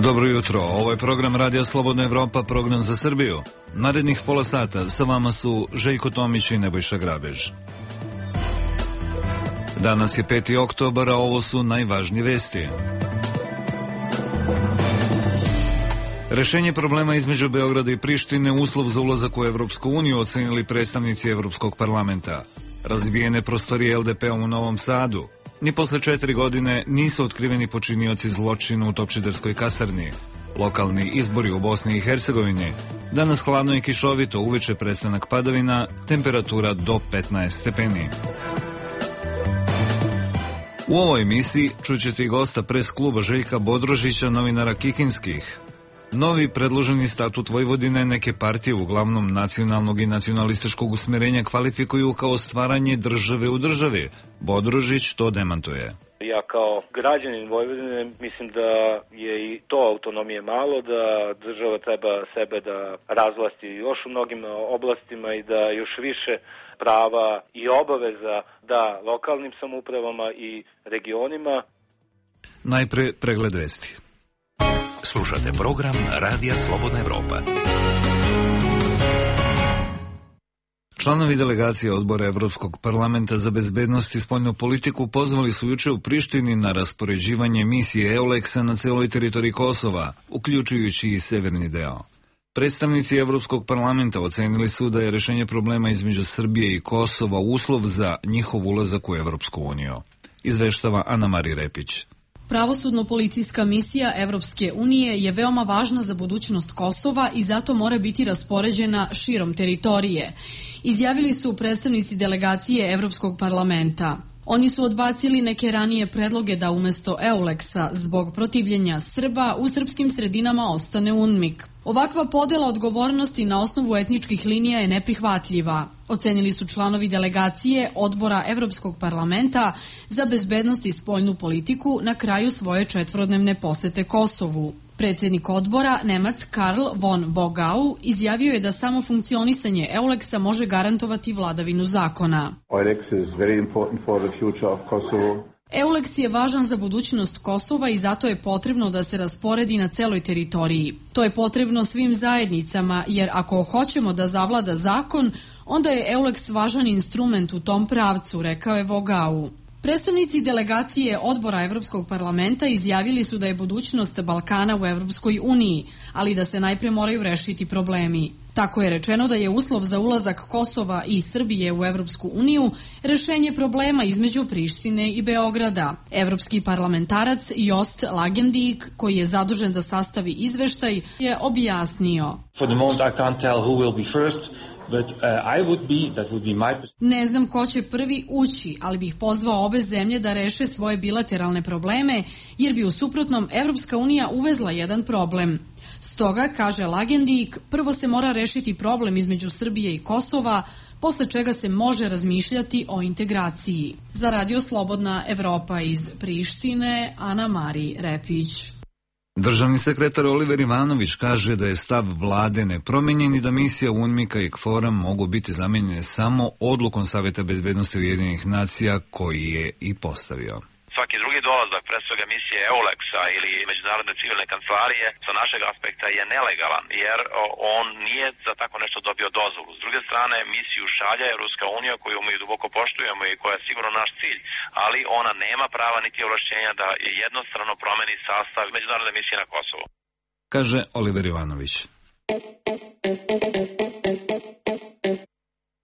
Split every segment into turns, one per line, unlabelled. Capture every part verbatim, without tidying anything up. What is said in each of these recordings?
Dobro jutro, ovo je program Radija Slobodna Evropa, program za Srbiju. Narednih pola sata sa vama su Željko Tomić i Nebojša Grabež. Danas je peti oktobar, a ovo su najvažnije vesti. Rešenje problema između Beograda i Prištine uslov za ulazak u Evropsku uniju ocenili predstavnici Evropskog parlamenta. Razbijene prostorije el de pe-a u Novom Sadu. Ni posle četiri godine nisu otkriveni počinioci zločina u Topčiderskoj kasarni. Lokalni izbori u Bosni i Hercegovini. Danas hladno i kišovito, uveče prestanak padavina, temperatura do petnaest stepeni. U ovoj emisiji čućete i gosta pres kluba Željka Bodrožića, novinara Kikinskih. Novi predloženi statut Vojvodine neke partije, uglavnom nacionalnog i nacionalističkog usmerenja, kvalifikuju kao stvaranje države u državi. Bodrožić to demantuje.
Ja kao građanin Vojvodine mislim da je i to autonomije malo, da država treba sebe da razvlasti još u mnogim oblastima i da još više prava i obaveza da lokalnim samoupravama i regionima.
Najpre pregled vesti.
Slušate program Radija Slobodna Evropa.
Članovi delegacije odbora Evropskog parlamenta za bezbednost i spoljnu politiku pozvali su juče u Prištini na raspoređivanje misije EULEX-a na celoj teritoriji Kosova, uključujući i severni deo. Predstavnici Evropskog parlamenta ocenili su da je rešenje problema između Srbije i Kosova uslov za njihov ulazak u Evropsku uniju. Izveštava Ana Mari Repić.
Pravosudno-policijska misija Evropske unije je veoma važna za budućnost Kosova i zato mora biti raspoređena širom teritorije, izjavili su predstavnici delegacije Evropskog parlamenta. Oni su odbacili neke ranije predloge da umesto EULEX-a zbog protivljenja Srba u srpskim sredinama ostane UNMIK. Ovakva podela odgovornosti na osnovu etničkih linija je neprihvatljiva, ocenili su članovi delegacije odbora Evropskog parlamenta za bezbednost i spoljnu politiku na kraju svoje četvorodnevne posete Kosovu. Predsjednik odbora, Nemac Karl von Wogau, izjavio je da samo funkcionisanje EULEX-a može garantovati vladavinu zakona. EULEX je važan za budućnost Kosova i zato je potrebno da se rasporedi na celoj teritoriji. To je potrebno svim zajednicama, jer ako hoćemo da zavlada zakon, onda je EULEX važan instrument u tom pravcu, rekao je Wogau. Predstavnici delegacije odbora Evropskog parlamenta izjavili su da je budućnost Balkana u Evropskoj uniji, ali da se najpre moraju rešiti problemi. Tako je rečeno da je uslov za ulazak Kosova i Srbije u Evropsku uniju rešenje problema između Prištine i Beograda. Evropski parlamentarac Joost Lagendijk, koji je zadužen da sastavi izveštaj, je objasnio.
For the moment I can't tell who will be first. But, uh, I would be, that would be my...
Ne znam ko će prvi ući, ali bih pozvao obe zemlje da reše svoje bilateralne probleme, jer bi u suprotnom Evropska unija uvezla jedan problem. Stoga, kaže Lagendijk, prvo se mora rešiti problem između Srbije i Kosova, posle čega se može razmišljati o integraciji. Za Radio Slobodna Evropa iz Prištine, Ana Mari Repić.
Državni sekretar Oliver Ivanović kaže da je stav vlade nepromenjen i da misija UNMIK-a i KFOR-a mogu biti zamenjene samo odlukom Saveta bezbednosti Ujedinjenih nacija koji je i postavio.
Svaki drugi dolazak, pre svega misije EULEX-a ili Međunarodne civilne kancelarije, sa našeg aspekta je nelegalan, jer on nije za tako nešto dobio dozvolu. S druge strane, misiju šalja Evropska unija, koju mi duboko poštujemo i koja je sigurno naš cilj, ali ona nema prava niti ovlašćenja da jednostrano promeni sastav Međunarodne misije na Kosovu.
Kaže Oliver Ivanović.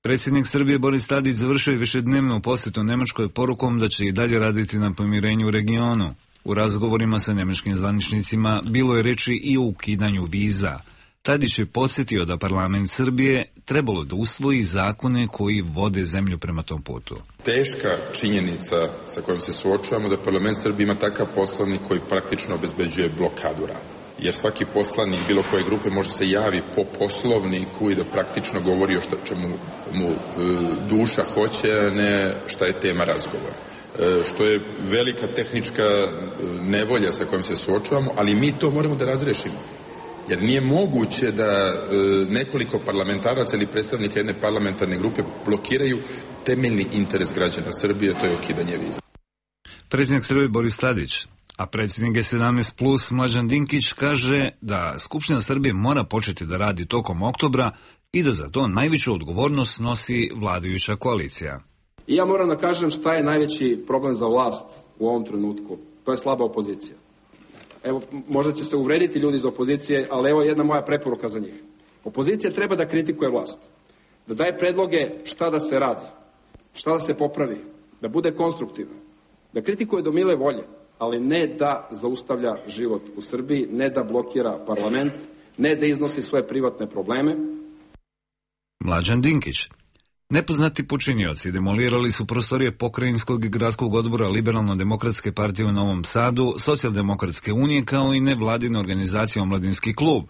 Predsjednik Srbije Boris Tadić završio je višednevnu posjetu Nemačkoj porukom da će i dalje raditi na pomirenju u regionu. U razgovorima sa nemačkim zvaničnicima bilo je reči i o ukidanju viza. Tadić je podsjetio da parlament Srbije trebalo da usvoji zakone koji vode zemlju prema tom putu.
Teška činjenica sa kojom se suočavamo da parlament Srbije ima takav poslovnik koji praktično obezbeđuje blokadu rada. Jer svaki poslanik bilo koje grupe može se javi po poslovniku i da praktično govori o što čemu mu e, duša hoće, a ne šta je tema razgovora. E, što je velika tehnička nevolja sa kojom se suočavamo, ali mi to moramo da razrešimo. Jer nije moguće da e, nekoliko parlamentaraca ili predstavnika jedne parlamentarne grupe blokiraju temeljni interes građana Srbije, to je ukidanje viza.
Predsjednik Srbije Boris Tadić A predsjednik G sedamnaest plus Mlađan Dinkić kaže da Skupština Srbije mora početi da radi tokom oktobra i da za to najveću odgovornost nosi vladajuća koalicija.
I ja moram da kažem šta je najveći problem za vlast u ovom trenutku. To je slaba opozicija. Evo, možda će se uvrediti ljudi iz opozicije, ali evo jedna moja preporuka za njih. Opozicija treba da kritikuje vlast, da daje predloge šta da se radi, šta da se popravi, da bude konstruktivna, da kritikuje do mile volje, ali ne da zaustavlja život u Srbiji, ne da blokira parlament, ne da iznosi svoje privatne probleme.
Mlađan Dinkić. Nepoznati počinioci demolirali su prostorije pokrajinskog i gradskog odbora Liberalno-demokratske partije u Novom Sadu, Socijaldemokratske unije kao i nevladine organizacije Omladinski klub.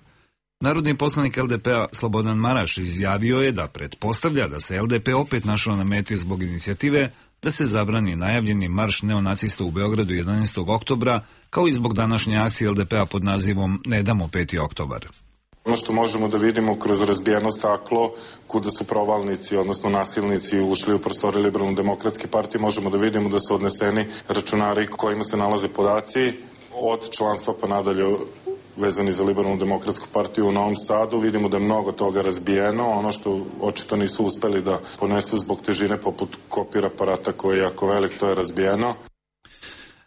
Narodni poslanik L D P-a Slobodan Maraš izjavio je da pretpostavlja da se L D P opet našao na meti zbog inicijative da se zabrani najavljeni marš neonacista u Beogradu jedanaestog oktobra, kao i zbog današnje akcije L D P-a pod nazivom Ne damo peti oktobar.
Ono što možemo da vidimo kroz razbijeno staklo, kuda su provalnici, odnosno nasilnici ušli u prostore Liberalno-demokratske partije, možemo da vidimo da su odneseni računari kojima se nalaze podaci od članstva pa nadalje vezani za Liberalno-demokratsku partiju u Novom Sadu. Vidimo da je mnogo toga razbijeno. Ono što očito nisu uspeli da ponesu zbog težine poput kopir aparata koji je jako velik, to je razbijeno.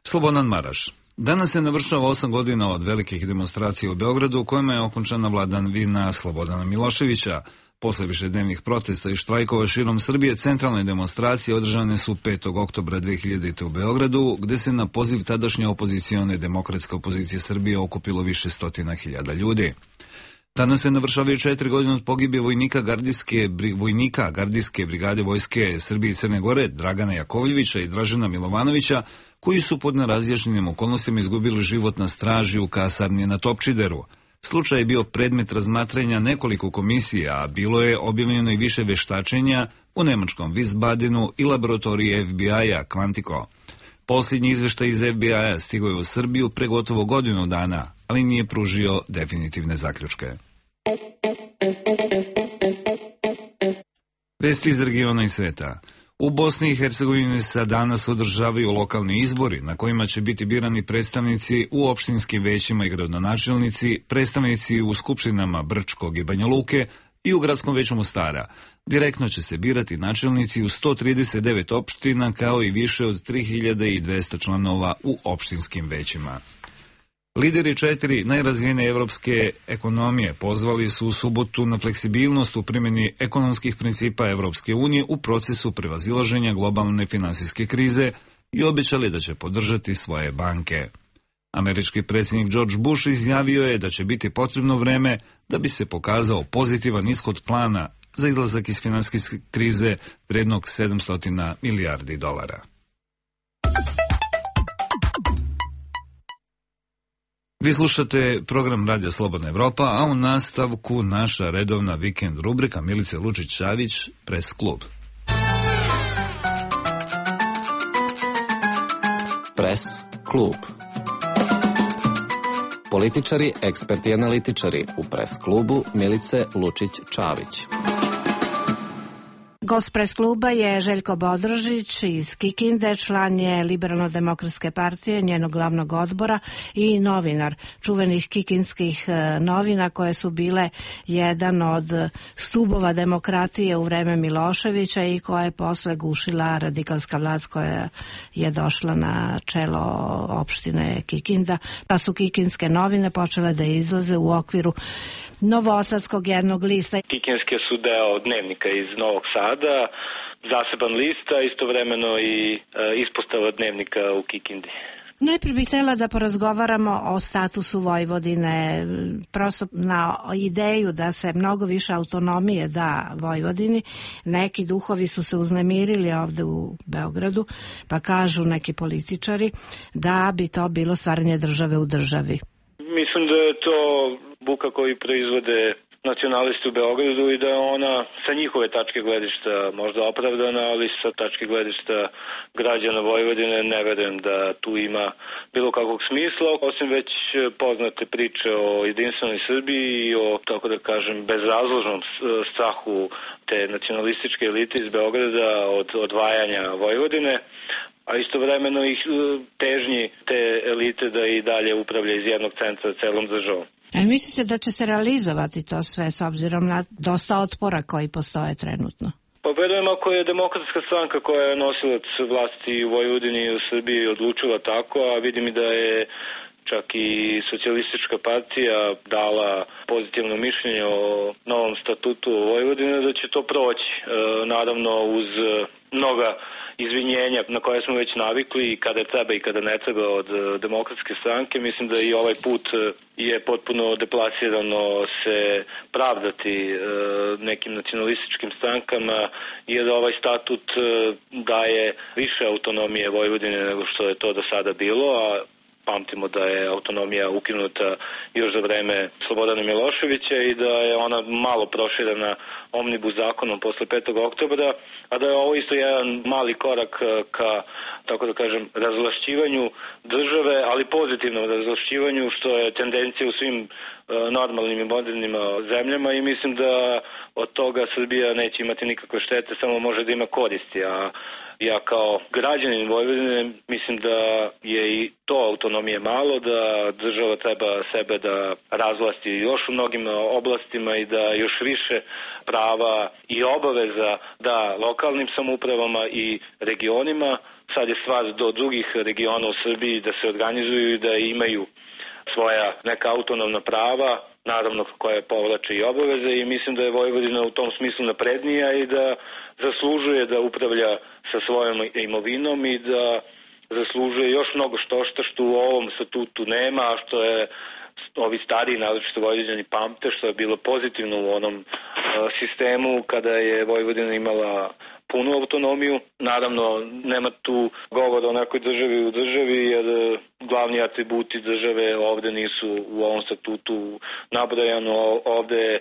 Slobodan Maraš. Danas se navršava osam godina od velikih demonstracija u Beogradu u kojima je okončana vladavina Slobodana Miloševića. Posle višednevnih protesta i štrajkova širom Srbije, centralne demonstracije održane su petog oktobra dve hiljadite. u Beogradu, gde se na poziv tadašnje opozicione demokratske opozicije Srbije okupilo više stotina hiljada ljudi. Danas se navršavaju četiri godine od pogibije vojnika gardijske, vojnika gardijske brigade vojske Srbije i Crne Gore, Dragana Jakovljevića i Dražena Milovanovića, koji su pod nerazjašnjenim okolnostima izgubili život na straži u kasarni na Topčideru. Slučaj je bio predmet razmatranja nekoliko komisija, a bilo je objavljeno i više veštačenja u nemačkom Wiesbadenu i laboratoriji F B I-a Quantico. Posljednji izveštaj iz F B I-a stigao je u Srbiju pre gotovo godinu dana, ali nije pružio definitivne zaključke. Vesti iz regiona i sveta. U Bosni i Hercegovini se danas održavaju lokalni izbori na kojima će biti birani predstavnici u opštinskim većima i gradonačelnici, predstavnici u skupštinama Brčkog i Banja Luke i u gradskom veću Mostara. Direktno će se birati načelnici u sto trideset devet opština kao i više od tri hiljade dvesta članova u opštinskim većima. Lideri četiri najrazvijenije evropske ekonomije pozvali su u subotu na fleksibilnost u primjeni ekonomskih principa Evropske unije u procesu prevazilaženja globalne finansijske krize i obećali da će podržati svoje banke. Američki predsjednik George Bush izjavio je da će biti potrebno vreme da bi se pokazao pozitivan ishod plana za izlazak iz finansijske krize vrednog sedamsto milijardi dolara. Vi slušate program Radija Slobodna Evropa, a u nastavku naša redovna vikend rubrika Milice Lučić-Čavić, Pres klub.
Pres klub. Političari, eksperti i analitičari u Pres klubu Milice Lučić-Čavić.
Gost Pres kluba je Željko Bodrožić iz Kikinde, član je Liberalno-demokratske partije, njenog glavnog odbora i novinar čuvenih kikinskih novina koje su bile jedan od stubova demokratije u vreme Miloševića i koja je posle gušila radikalska vlast koja je došla na čelo opštine Kikinda. Pa su kikinske novine počele da izlaze u okviru novosadskog jednog lista.
Kikinske su deo dnevnika iz Novog Sada, zaseban lista, istovremeno i e, ispostava dnevnika u Kikindi.
Najprije bih htjela da porazgovaramo o statusu Vojvodine, prosto na ideju da se mnogo više autonomije da Vojvodini. Neki duhovi su se uznemirili ovde u Beogradu, pa kažu neki političari da bi to bilo stvaranje države u državi.
Mislim da je to buka koju proizvode nacionalisti u Beogradu i da je ona sa njihove tačke gledišta možda opravdana, ali sa tačke gledišta građana Vojvodine ne verujem da tu ima bilo kakvog smisla, osim već poznate priče o jedinstvenoj Srbiji i o, tako da kažem, bezrazložnom strahu te nacionalističke elite iz Beograda od odvajanja Vojvodine. a istovremeno ih težnji te elite da i dalje upravlja iz jednog centra celom državom.
A mislite da će se realizovati to sve s obzirom na dosta otpora koji postoje trenutno?
Pa verujem ako je Demokratska stranka koja je nosilac vlasti u Vojvodini i u Srbiji odlučila tako, a vidim i da je čak i socijalistička partija dala pozitivno mišljenje o novom statutu Vojvodine, da će to proći. E, naravno uz mnoga izvinjenja na koje smo već navikli i kada treba i kada ne treba od Demokratske stranke. Mislim da i ovaj put je potpuno deplasirano se pravdati e, nekim nacionalističkim strankama, jer ovaj statut e, daje više autonomije Vojvodine nego što je to do sada bilo, a pamtimo da je autonomija ukinuta još za vreme Slobodana Miloševića i da je ona malo proširena omnibus zakonom posle petog oktobra, a da je ovo isto jedan mali korak ka, tako da kažem, razvlašćivanju države, ali pozitivnom razvlašćivanju, što je tendencija u svim normalnim i modernim zemljama i mislim da od toga Srbija neće imati nikakve štete, samo može da ima koristi, a ja kao građanin Vojvodine mislim da je i to autonomije malo, da država treba sebe da razvlasti još u mnogim oblastima i da još više prava i obaveza da lokalnim samoupravama i regionima. Sad je stvar do drugih regiona u Srbiji da se organizuju i da imaju svoja neka autonomna prava, naravno koja povlače i obaveze, i mislim da je Vojvodina u tom smislu naprednija i da zaslužuje da upravlja sa svojom imovinom i da zaslužuje još mnogo što što što u ovom statutu nema, a što je ovi stariji, naročito Vojvođani, pamte, što je bilo pozitivno u onom uh, sistemu kada je Vojvodina imala punu autonomiju. Naravno, nema tu govora o nekoj državi u državi, jer glavni atributi države ovde nisu u ovom statutu nabrojano. Ovde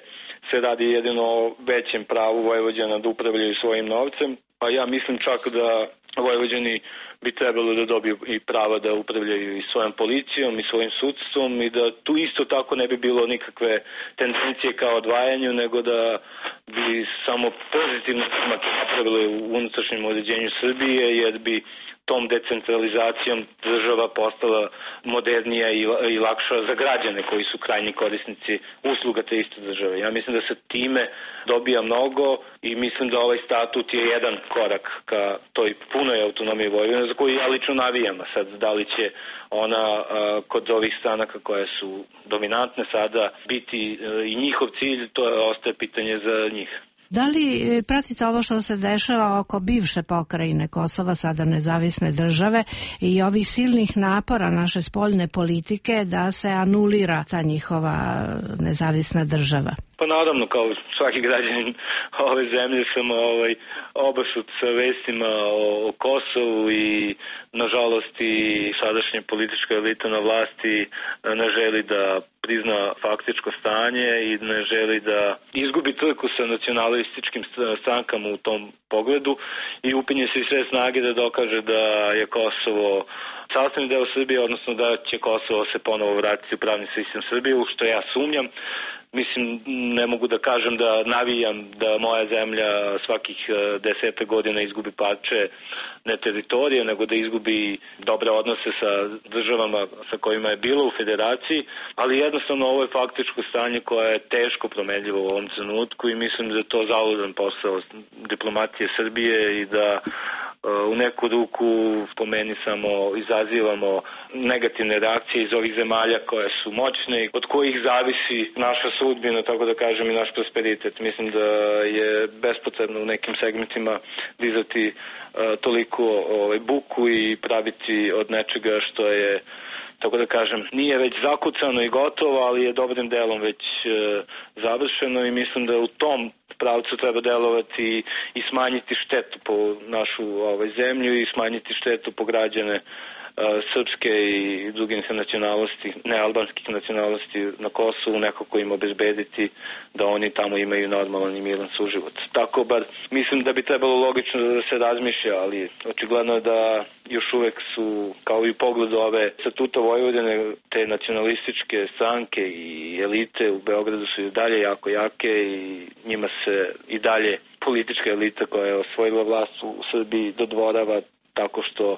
se radi jedino o većem pravu Vojvođana da upravljaju svojim novcem, a ja mislim čak da Vojvođani bi trebalo da dobiju i prava da upravljaju i svojom policijom i svojim sudstvom i da tu isto tako ne bi bilo nikakve tendencije kao odvajanju, nego da bi samo pozitivno napravili u unutrašnjem uređenju Srbije, jer bi tom decentralizacijom država postala modernija i, i lakša za građane koji su krajnji korisnici usluga te iste države. Ja mislim da se time dobija mnogo i mislim da ovaj statut je jedan korak ka toj punoj autonomiji Vojvodine, za koju ja lično navijam. Sad, da li će ona a, kod ovih stranaka koje su dominantne sada biti a, i njihov cilj, to je, ostaje pitanje za njih.
Da li pratite ovo što se dešava oko bivše pokrajine Kosova, sada nezavisne države, i ovih silnih napora naše spoljne politike da se anulira ta njihova nezavisna država?
Pa naravno, kao svaki građanin ove zemlje sam ovaj, obasut sa vestima o, o Kosovu i nažalost i sadašnja politička elita na vlasti ne želi da prizna faktičko stanje i ne želi da izgubi trku sa nacionalističkim strankama u tom pogledu i upinje se i sve snage da dokaže da je Kosovo sastavni deo Srbije, odnosno da će Kosovo se ponovo vratiti u pravni sistem Srbije, u što ja sumnjam. Mislim, ne mogu da kažem da navijam da moja zemlja svakih deseta godina izgubi parče ne teritorije, nego da izgubi dobre odnose sa državama sa kojima je bilo u federaciji, ali jednostavno ovo je faktičko stanje koje je teško promenljivo u ovom trenutku i mislim da je to zaludan posao diplomatije Srbije i da u neku ruku po meni samo izazivamo negativne reakcije iz ovih zemalja koje su moćne i od kojih zavisi naša sudbina, tako da kažem, i naš prosperitet. Mislim da je bespotrebno u nekim segmentima dizati uh, toliko ovaj, buku i praviti od nečega što je, tako da kažem, nije već zakucano i gotovo, ali je dobrim delom već uh, završeno i mislim da u tom pravcu treba delovati i smanjiti štetu po našu ovaj, zemlju i smanjiti štetu po građane srpske i drugih nacionalnosti, nealbanskih nacionalnosti na Kosovu, nekako im obezbediti da oni tamo imaju normalan i miran suživot. Tako bar mislim da bi trebalo logično da se razmišlja, ali očigledno da još uvek su, kao i u pogledu ove statuta Vojvodine, te nacionalističke stranke i elite u Beogradu su i dalje jako jake i njima se i dalje politička elita koja je osvojila vlast u Srbiji dodvorava tako što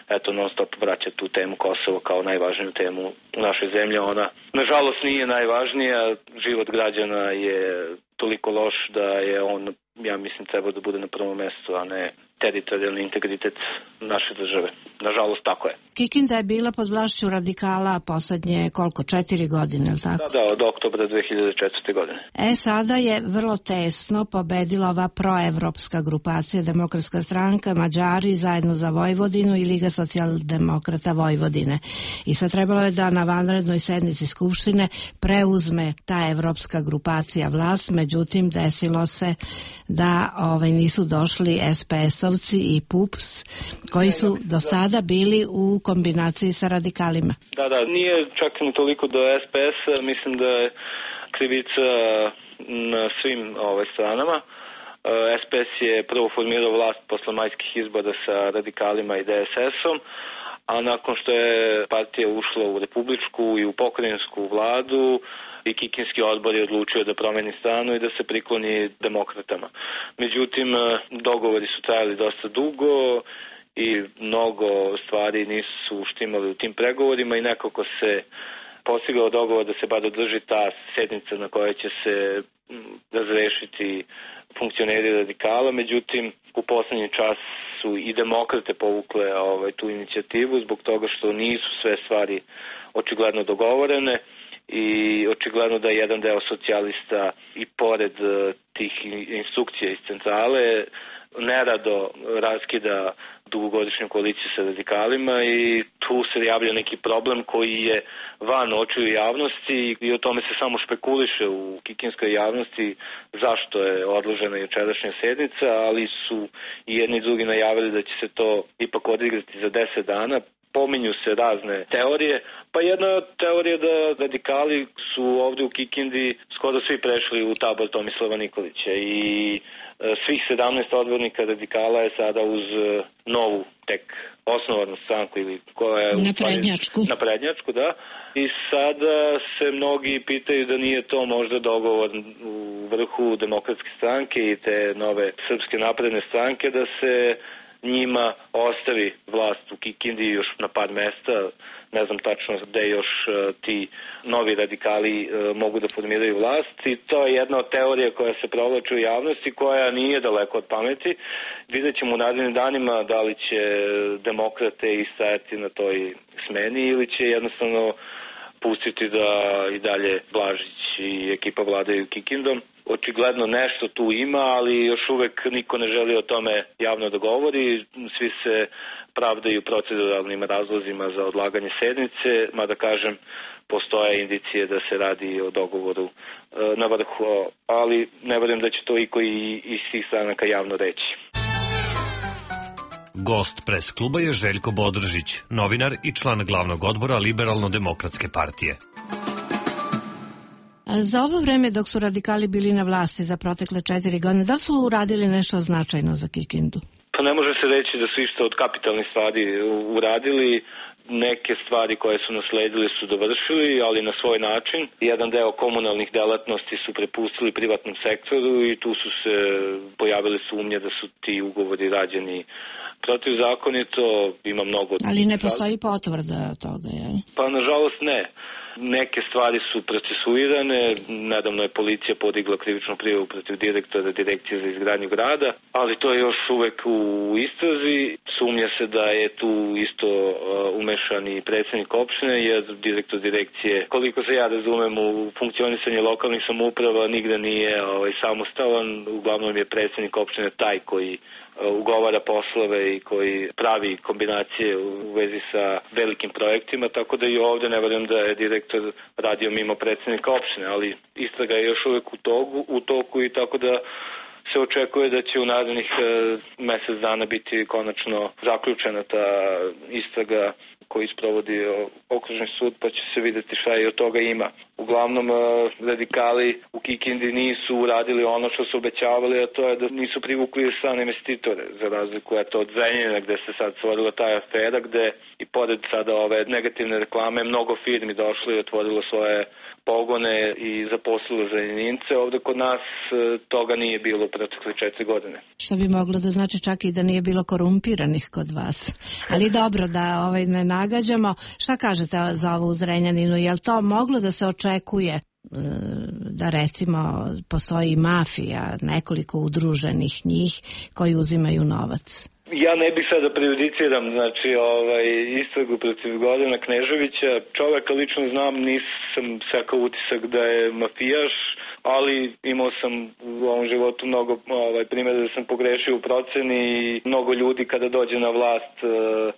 eto non stop vraća tu temu Kosova kao najvažniju temu u našoj zemlji. Ona nažalost nije najvažnija, život građana je toliko loš da je on, ja mislim, treba da bude na prvom mestu, a ne teritorijalni integritet naše države. Nažalost, tako je.
Kikinda je bila pod vlašću radikala poslednje koliko, četiri godine, ili tako?
Da, da, od oktobra dve hiljade četvrte. godine.
E, sada je vrlo tesno pobedila ova proevropska grupacija, Demokratska stranka, Mađari, Zajedno za Vojvodinu i Liga socijaldemokrata Vojvodine. I sad trebalo je da na vanrednoj sednici Skupštine preuzme ta evropska grupacija vlast, međutim desilo se da ovaj, nisu došli es pe es-ovci i P U P S, koji su do sada bili u kombinaciji sa radikalima.
Da, da, nije čak ni toliko do es pe es-a, mislim da je krivica na svim ovaj, stranama. es pe es je prvo formirao vlast posle majskih izbora sa radikalima i de es es-om, a nakon što je partija ušla u republičku i u pokrajinsku vladu, i Kikinski odbor je odlučio da promeni stranu i da se prikloni demokratama. Međutim, dogovori su trajali dosta dugo i mnogo stvari nisu štimali u tim pregovorima i nekako se postigao dogovor da se bar održi ta sednica na kojoj će se razrešiti funkcioneri radikala. Međutim, u poslednji čas su i demokrate povukle ovaj, tu inicijativu zbog toga što nisu sve stvari očigledno dogovorene i očigledno da jedan deo socijalista i pored tih instrukcija iz centrale nerado raskida dugogodišnju koaliciju sa radikalima i tu se javlja neki problem koji je van očiju javnosti i o tome se samo špekuliše u kikinskoj javnosti zašto je odložena jučerašnja sednica, ali su i jedni i drugi najavili da će se to ipak odigrati za deset dana. Pominju se razne teorije, pa jedna teorija da radikali su ovde u Kikindi skoro svi prešli u tabor Tomislava Nikolića i svih sedamnaest odbornika radikala je sada uz novu tek osnovanu stranku ili koja je
naprednjačku.
naprednjačku, da. I sada se mnogi pitaju da nije to možda dogovor u vrhu Demokratske stranke i te nove Srpske napredne stranke da se njima ostavi vlast u Kikindi još na par mesta, ne znam tačno gde još uh, ti novi radikali uh, mogu da formiraju vlast i to je jedna od teorija koja se provlači u javnosti koja nije daleko od pameti. Vidjet ćemo u narednim danima da li će demokrate istajati na toj smeni ili će jednostavno pustiti da i dalje Blažić i ekipa vladaju Kikindom. Očigledno nešto tu ima, ali još uvek niko ne želi o tome javno da govori. Svi se pravdaju proceduralnim razlozima za odlaganje sednice, mada kažem, postoje indicije da se radi o dogovoru na vrhu, ali ne verujem da će to iko i iz svih stranaka javno reći.
Gost pres kluba je Željko Bodržić, novinar i član glavnog odbora Liberalno-demokratske partije.
Za ovo vreme dok su radikali bili na vlasti za protekle četiri godine, da su uradili nešto značajno za Kikindu?
Pa ne može se reći da su isto od kapitalnih stvari uradili. Neke stvari koje su nasledili su dovršili, ali na svoj način. Jedan deo komunalnih delatnosti su prepustili privatnom sektoru i tu su se pojavile sumnje da su ti ugovori rađeni protivzakonito. Ima mnogo...
Ali ne postoji potvrda toga, je?
Pa nažalost ne. Neke stvari su procesuirane, nedavno je policija podigla krivičnu prijavu protiv direktora Direkcije za izgradnju grada, ali to je još uvek u istrazi. Sumnja se da je tu isto umešan i predsjednik opštine, jer direktor direkcije, koliko se ja razumem u funkcionisanje lokalnih samouprava, nigde nije ovaj, samostalan, uglavnom je predsjednik opštine taj koji ugovara poslove i koji pravi kombinacije u vezi sa velikim projektima, tako da i ovde ne verujem da je direktor radio mimo predsjednika opštine, ali istraga je još uvek u toku, u toku i tako da se očekuje da će u narednih e, mesec dana biti konačno zaključena ta istraga koji sprovodi okružni sud, pa će se videti šta i od toga ima. Uglavnom, radikali u Kikindi nisu uradili ono što su obećavali, a to je da nisu privukli strane investitore, za razliku eto, od Zrenjanina gde se sad stvorila ta afera, gde i pored sada ove negativne reklame mnogo firmi došlo i otvorilo svoje pogone i zaposlilo Zrenjanince. Ovde kod nas toga nije bilo protekle četiri godine.
Što bi moglo da znači čak i da nije bilo korumpiranih kod vas. Ali dobro da ovaj ne nagađamo. Šta kažete za ovo u Zrenjaninu? Je li to moglo da se očekuje da recimo postoji mafija, nekoliko udruženih njih koji uzimaju novac?
Ja ne bih sad da prejudiciram, znači, ovaj, istragu protiv Gordana Kneževića. Čoveka lično znam, nisam sekao utisak da je mafijaš, ali imao sam u ovom životu mnogo ovaj, primjera da sam pogrešio u proceni i mnogo ljudi kada dođe na vlast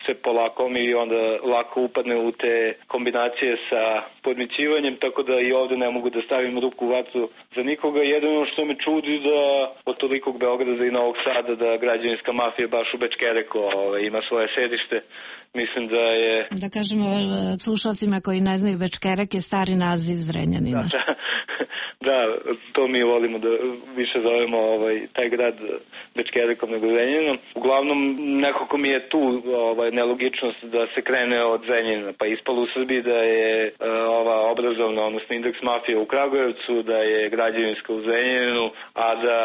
se polakomi i onda lako upadne u te kombinacije sa podmićivanjem, tako da i ovde ne mogu da stavim ruku u vatru za nikoga. Jedino što me čudi da od tolikog Beograda i Novog Sada da građevinska mafija baš u Bečkereku ovaj, ima svoje sedište. Mislim da je...
Da kažemo slušalcima koji ne znaju, Bečkerek je stari naziv Zrenjanina.
Da, da, to mi volimo da više zovemo ovaj, taj grad Bečkerekom nego Zrenjaninom. Uglavnom, nekako mi je tu ovaj, nelogičnost da se krene od Zrenjanina, pa ispalo u Srbiji da je uh, ova obrazovna, odnosno indeks mafije u Kragujevcu, da je građevinska u Zrenjaninu, a da...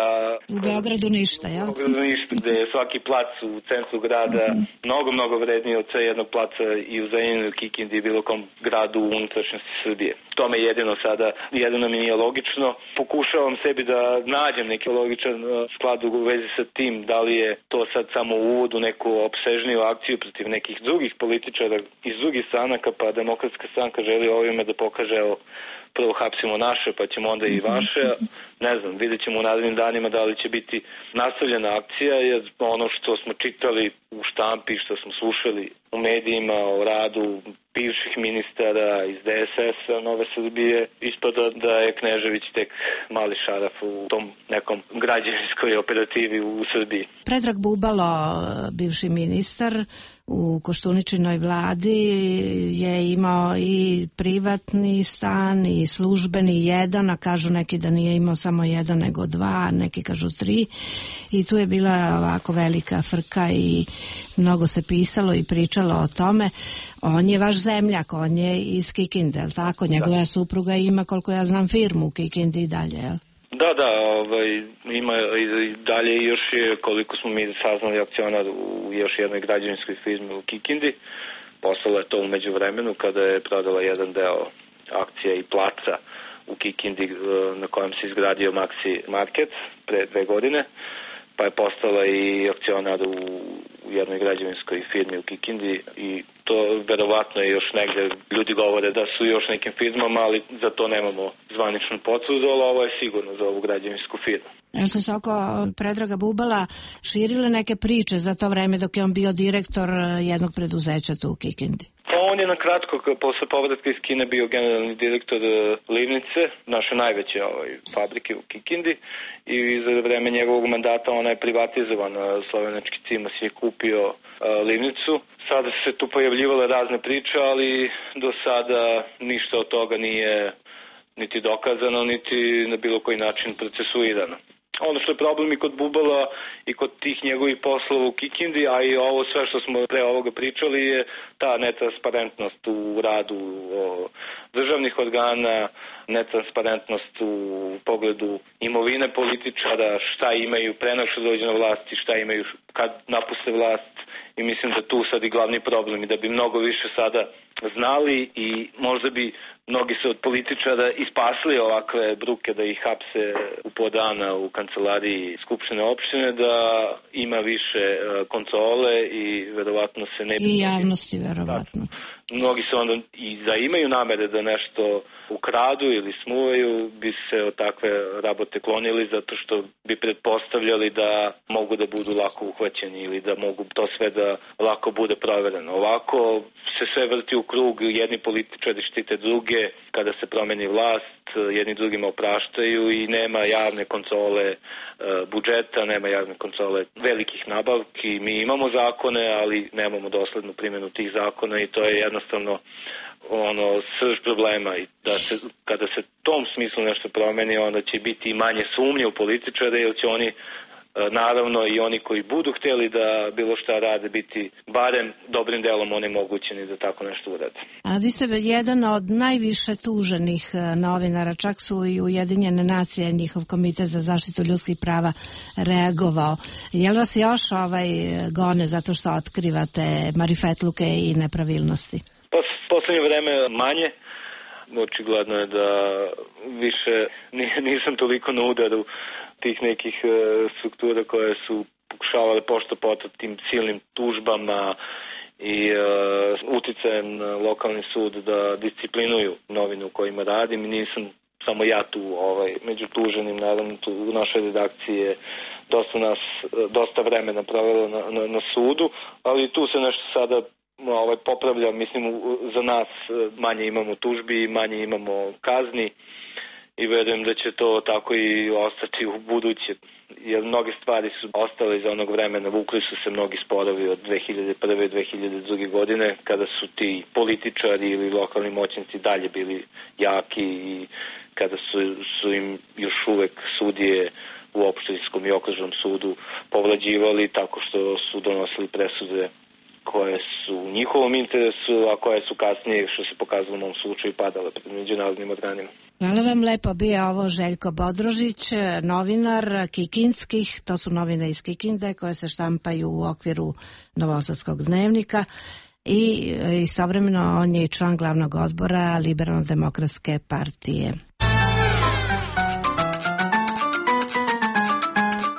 U Beogradu ništa, jel?
U Beogradu ništa, da je svaki plac u centru grada mm-hmm. mnogo, mnogo vredniji od jednog placa i u Zrenjaninu, Kikindi i bilo kom gradu u unutrašnjosti Srbije. To me jedino sada, jedino mi nije logično. Pokušavam sebi da nađem neki logičan sklad u vezi sa tim, da li je to sad samo uvod u neku opsežniju akciju protiv nekih drugih političara iz drugih stranaka, pa Demokratska stranka želi ovime da pokaže, evo, prvo hapsimo naše, pa ćemo onda i vaše. Ne znam, vidjet ćemo u narednim danima da li će biti nastavljena akcija, jer ono što smo čitali u štampi, što smo slušali u medijima o radu bivših ministara iz D S S-a Nove Srbije, ispada da je Knežević tek mali šaraf u tom nekom građevinskoj operativi u Srbiji.
Predrag Bubalo, bivši ministar u Koštuničinoj vladi, je imao i privatni stan i službeni jedan, a kažu neki da nije imao samo jedan nego dva, neki kažu tri, i tu je bila ovako velika frka i mnogo se pisalo i pričalo o tome. On je vaš zemljak, on je iz Kikinde, je li tako? Njegova da. supruga ima, koliko ja znam, firmu u Kikindi i dalje, je li?
Da, da, ovaj, ima i dalje još je, koliko smo mi saznali, akcionar u još jednoj građevinskoj firmi u Kikindi. Postalo je to u međuvremenu kada je prodala jedan deo akcija i placa u Kikindi na kojem se izgradio Maxi Market pre dve godine, pa je postala i akcionar u, u jednoj građevinskoj firmi u Kikindi i to verovatno je još negde, ljudi govore da su još nekim firmama, ali za to nemamo zvaničnu potvrdu, ali ovo je sigurno za ovu građevinsku firmu.
Jel su se oko Predraga Bubala širile neke priče za to vreme dok je on bio direktor jednog preduzeća tu u Kikindi?
Pa on je na kratko, posle povratka iz Kine, bio generalni direktor Livnice, naše najveće ovaj, fabrike u Kikindi, i za vreme njegovog mandata ona je privatizovana. Slovenački Cimos je kupio uh, Livnicu. Sada se tu pojavljivale razne priče, ali do sada ništa od toga nije niti dokazano, niti na bilo koji način procesuirano. Ono što je problem i kod Bubala i kod tih njegovih poslova u Kikindi, a i ovo sve što smo pre ovoga pričali, je ta netransparentnost u radu državnih organa, netransparentnost u pogledu imovine političara, šta imaju pre nego što dođe na vlast i šta imaju kad napuste vlast. I mislim da tu sad i glavni problem i da bi mnogo više sada znali i možda bi mnogi se od političara ispasli ovakve bruke da ih hapse u po dana u kancelariji Skupštine opštine, da ima više kontrole i verovatno se ne bi...
I javnosti verovatno.
Da, mnogi se onda i da imaju namere da nešto ukradu ili smuvaju, bi se od takve rabote klonili zato što bi pretpostavljali da mogu da budu lako uhvaćeni ili da mogu to sve da lako bude provereno. Ovako se sve vrti u krug, jedni političari štite druge, kada se promeni vlast, jedni drugima opraštaju i nema javne kontrole budžeta, nema javne kontrole velikih nabavki. Mi imamo zakone, ali nemamo doslednu primjenu tih zakona i to je jednostavno ono srž problema i da se, kada se tom smislu nešto promeni, onda će biti i manje sumnje u političare, jer će oni naravno i oni koji budu htjeli da bilo šta rade biti barem dobrim delom onemogućeni da tako nešto urade.
A vi ste jedan od najviše tuženih novinara, čak su i Ujedinjene nacije, njihov komitet za zaštitu ljudskih prava reagovao. Je li vas još ovaj gone zato što otkrivate marifetluke i nepravilnosti?
Pa poslednje vreme manje. Očigledno je da više nisam toliko na udaru tih nekih struktura koje su pokušavale pošto poto tim silnim tužbama i uh, uticajem na lokalni sud da disciplinuju novinu u kojima radim. I nisam samo ja tu ovaj, među tuženim, naravno tu u našoj redakciji je dosta nas, dosta vremena provelo na, na, na sudu, ali tu se nešto sada ovaj, popravlja, mislim za nas manje imamo tužbi, manje imamo kazni i verujem da će to tako i ostati u buduće, jer mnoge stvari su ostale iz onog vremena, vukli su se mnogi sporovi od dve hiljade prve. dve hiljade druge. godine, kada su ti političari ili lokalni moćnici dalje bili jaki i kada su, su im još uvek sudije u opštinskom i okružnom sudu povlađivali tako što su donosili presude koje su u njihovom interesu, a koje su kasnije, što se pokazalo u mom slučaju, padale pred međunarodnim organima.
Hvala vam lepo, bio ovo Željko Bodrožić, novinar kikinskih, to su novine iz Kikinde koje se štampaju u okviru Novosadskog dnevnika i istovremeno on je i član glavnog odbora Liberalno-demokratske partije.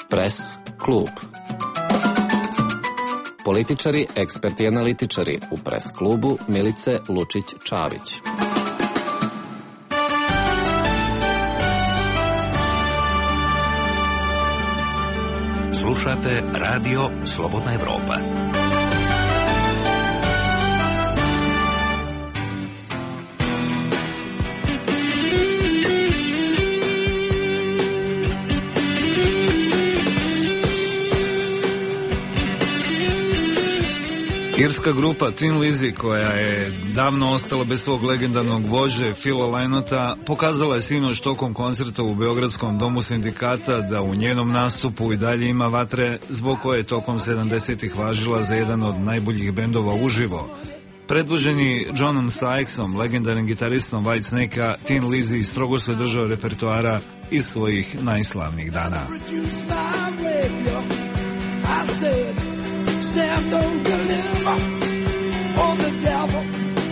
Pres klub. Političari, eksperti i analitičari u Pres klubu Milice Lučić-Čavić.
Slušate Radio Slobodna Evropa.
Irska grupa Thin Lizzy, koja je davno ostala bez svog legendarnog vođe Phila Lynota, pokazala je sinoć tokom koncerta u Beogradskom domu sindikata da u njenom nastupu i dalje ima vatre, zbog koje je tokom sedamdesetih važila za jedan od najboljih bendova uživo. Predvođeni Johnom Sykesom, legendarnim gitaristom Whitesnake-a, Thin Lizzy strogo se držao repertoara iz svojih najslavnijih dana.
Stand don't deliver on the devil,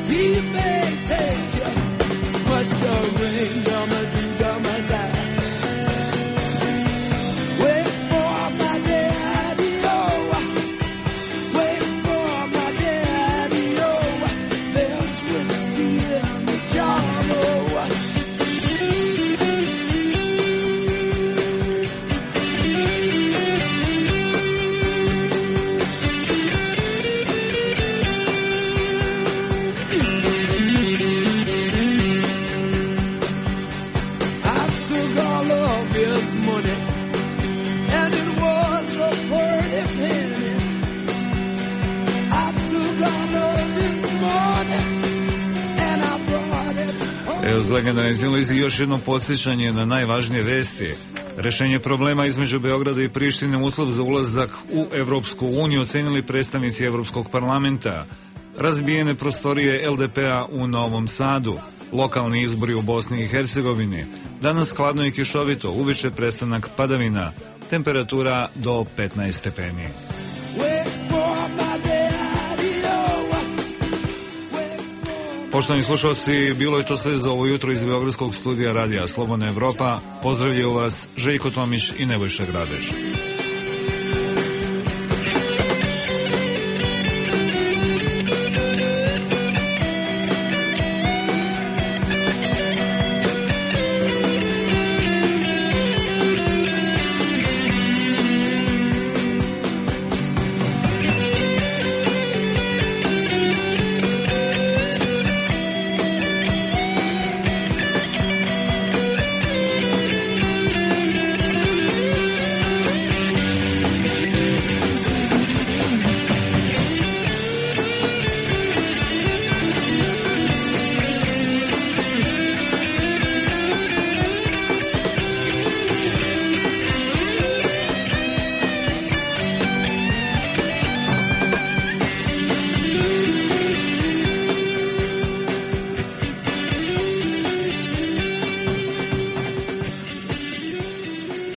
he may take you, but the ring gonna do gonna die. Wait for my daddy, oh, wait for my daddy, oh, there's whiskey in the jar, oh.
Evo, uz legendarni Thin Lizzy još jedno podsjećanje na najvažnije vesti. Rešenje problema između Beograda i Prištine uslov za ulazak u Evropsku uniju ocenili predstavnici Evropskog parlamenta. Razbijene prostorije el de pe-a u Novom Sadu. Lokalni izbori u Bosni i Hercegovini. Danas hladno i kišovito, uveče prestanak padavina. Temperatura do petnaest stepeni. Poštovani slušalci, bilo je to sve za ovo jutro iz Beogradskog studija Radija Slobodna Evropa. Pozdravljaju vas Željko Tomić i Nebojša Gradež.